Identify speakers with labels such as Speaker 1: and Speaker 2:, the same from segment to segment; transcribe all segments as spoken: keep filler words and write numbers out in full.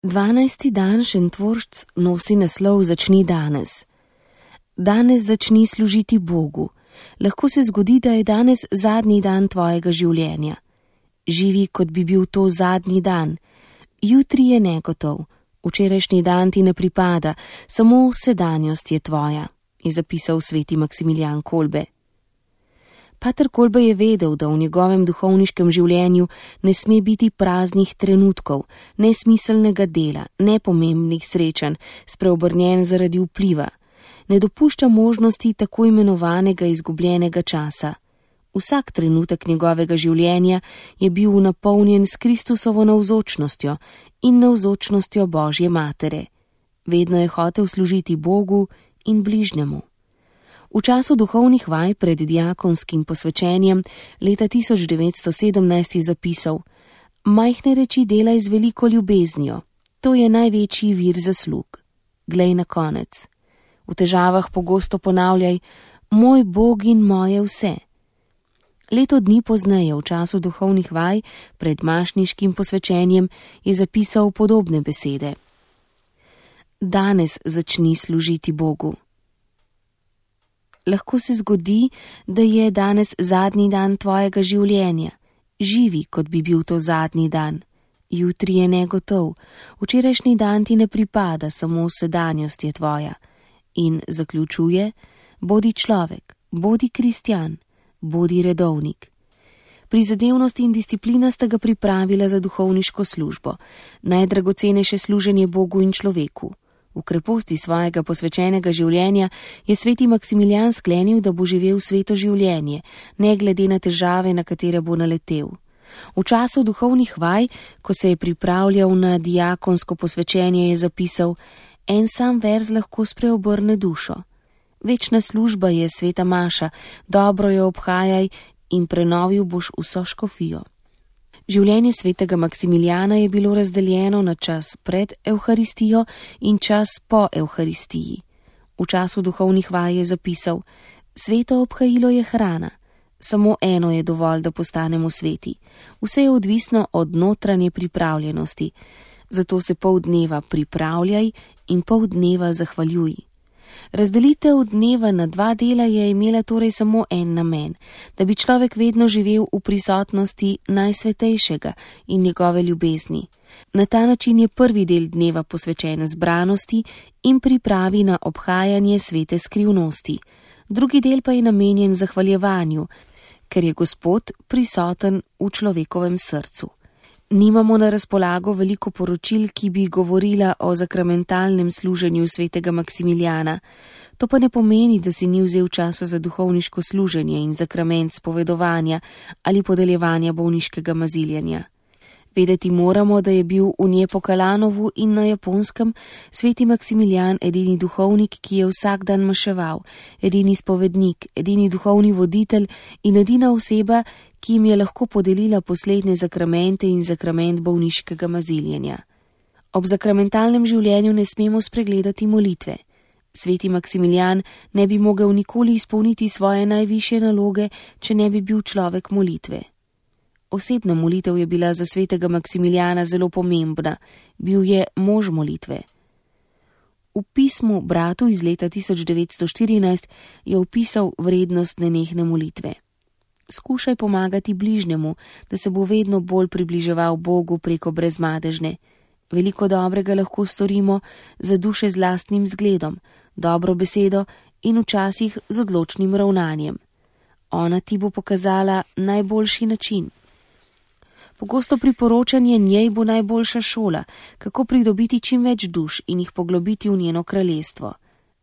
Speaker 1: Dvanajsti dan Šentvoršc nosi naslov Začni danes. Danes začni služiti Bogu. Lahko se zgodi, da je danes zadnji dan tvojega življenja. Živi, kot bi bil to zadnji dan. Jutri je negotov. Včerajšnji dan ti ne pripada, samo sedanjost je tvoja, je zapisal sveti Maksimilijan Kolbe. Pater Kolbe je vedel, da v njegovem duhovniškem življenju ne sme biti praznih trenutkov, nesmiselnega dela, nepomembnih srečanj, spreobrnjen zaradi vpliva. Ne dopušča možnosti tako imenovanega izgubljenega časa. Vsak trenutek njegovega življenja je bil napolnjen s Kristusovo navzočnostjo in navzočnostjo Božje Matere. Vedno je hotel služiti Bogu in bližnjemu. V času duhovnih vaj pred diakonskim posvečenjem leta tisoč devetsto sedemnajst je zapisal: Majhne reči delaj z veliko ljubeznijo, to je največji vir zaslug. Glej na konec. V težavah pogosto ponavljaj: Moj Bog in moje vse. Leto dni pozneje, v času duhovnih vaj pred mašniškim posvečenjem, je zapisal podobne besede. Danes začni služiti Bogu. Lahko se zgodi, da je danes zadnji dan tvojega življenja. Živi, kot bi bil to zadnji dan. Jutri je negotov. Včerajšnji dan ti ne pripada, samo sedanjost je tvoja. In zaključuje: bodi človek, bodi kristjan, bodi redovnik. Prizadevnost in disciplina sta ga pripravila za duhovniško službo, najdragocenejše služenje Bogu in človeku. V kreposti svojega posvečenega življenja je sveti Maksimilijan sklenil, da bo živel sveto življenje, ne glede na težave, na katere bo naletel. V času duhovnih vaj, ko se je pripravljal na diakonsko posvečenje, je zapisal: En sam verz lahko spreobrne dušo. Večna služba je sveta maša, dobro jo obhajaj in prenovil boš vso škofijo. Življenje svetega Maksimilijana je bilo razdeljeno na čas pred Evharistijo in čas po Evharistiji. V času duhovnih vaj je zapisal: Sveto obhajilo je hrana, samo eno je dovolj, da postanemo sveti. Vse je odvisno od notranje pripravljenosti, zato se pol dneva pripravljaj in pol dneva zahvaljuj. Razdelitev dneva na dva dela je imela torej samo en namen, da bi človek vedno živel v prisotnosti Najsvetejšega in njegove ljubezni. Na ta način je prvi del dneva posvečen zbranosti in pripravi na obhajanje svete skrivnosti. Drugi del pa je namenjen zahvaljevanju, ker je Gospod prisoten v človekovem srcu. Nimamo na razpolago veliko poročil, ki bi govorila o zakramentalnem služenju svetega Maksimilijana. To pa ne pomeni, da si ni vzel časa za duhovniško služenje in zakrament spovedovanja ali podeljevanja bolniškega maziljanja. Vedeti moramo, da je bil v Njepokalanovu in na Japonskem sveti Maksimilijan edini duhovnik, ki je vsak dan maševal, edini spovednik, edini duhovni voditelj in edina oseba, ki jim je lahko podelila poslednje zakramente in zakrament bolniškega maziljenja. Ob zakramentalnem življenju ne smemo spregledati molitve. Sveti Maksimilijan ne bi mogel nikoli izpolniti svoje najvišje naloge, če ne bi bil človek molitve. Osebna molitev je bila za svetega Maksimilijana zelo pomembna, bil je mož molitve. V pismu bratu iz leta tisoč devetsto štirinajst je opisal vrednost nenehne molitve. Skušaj pomagati bližnjemu, da se bo vedno bolj približeval Bogu preko brezmadežne. Veliko dobrega lahko storimo za duše z lastnim zgledom, dobro besedo in včasih z odločnim ravnanjem. Ona ti bo pokazala najboljši način. Pogosto priporočanje njej bo najboljša šola, kako pridobiti čim več duš in jih poglobiti v njeno kraljestvo.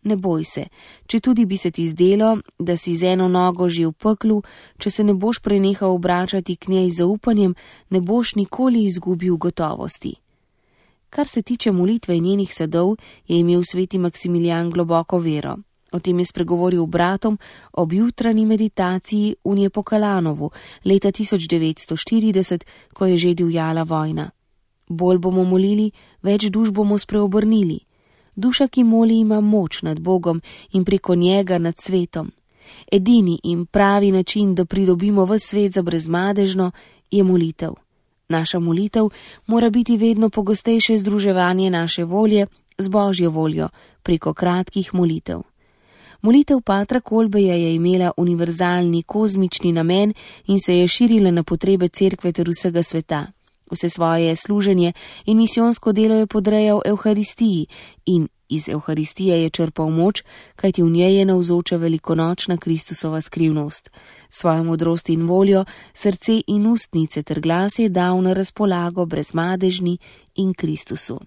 Speaker 1: Ne boj se, če tudi bi se ti zdelo, da si z eno nogo že v peklu, če se ne boš prenehal obračati k njej z zaupanjem, ne boš nikoli izgubil gotovosti. Kar se tiče molitve in njenih sadov, je imel sveti Maksimilijan globoko vero. O tem je spregovoril bratom ob jutranji meditaciji v Njepokalanovu leta tisoč devetsto štirideset, ko je že divjala vojna. Bolj bomo molili, več duš bomo spreobrnili. Duša, ki moli, ima moč nad Bogom in preko njega nad svetom. Edini in pravi način, da pridobimo ves svet za brezmadežno, je molitev. Naša molitev mora biti vedno pogostejše združevanje naše volje z Božjo voljo preko kratkih molitev. Molitev patra Kolbeja je imela univerzalni kozmični namen in se je širila na potrebe cerkve ter vsega sveta. Vse svoje služenje in misijonsko delo je podrejal Evharistiji in iz Evharistije je črpal moč, kajti v njej je navzoča velikonočna Kristusova skrivnost. Svojo modrost in voljo, srce in ustnice ter glas je dal na razpolago brezmadežni in Kristusu.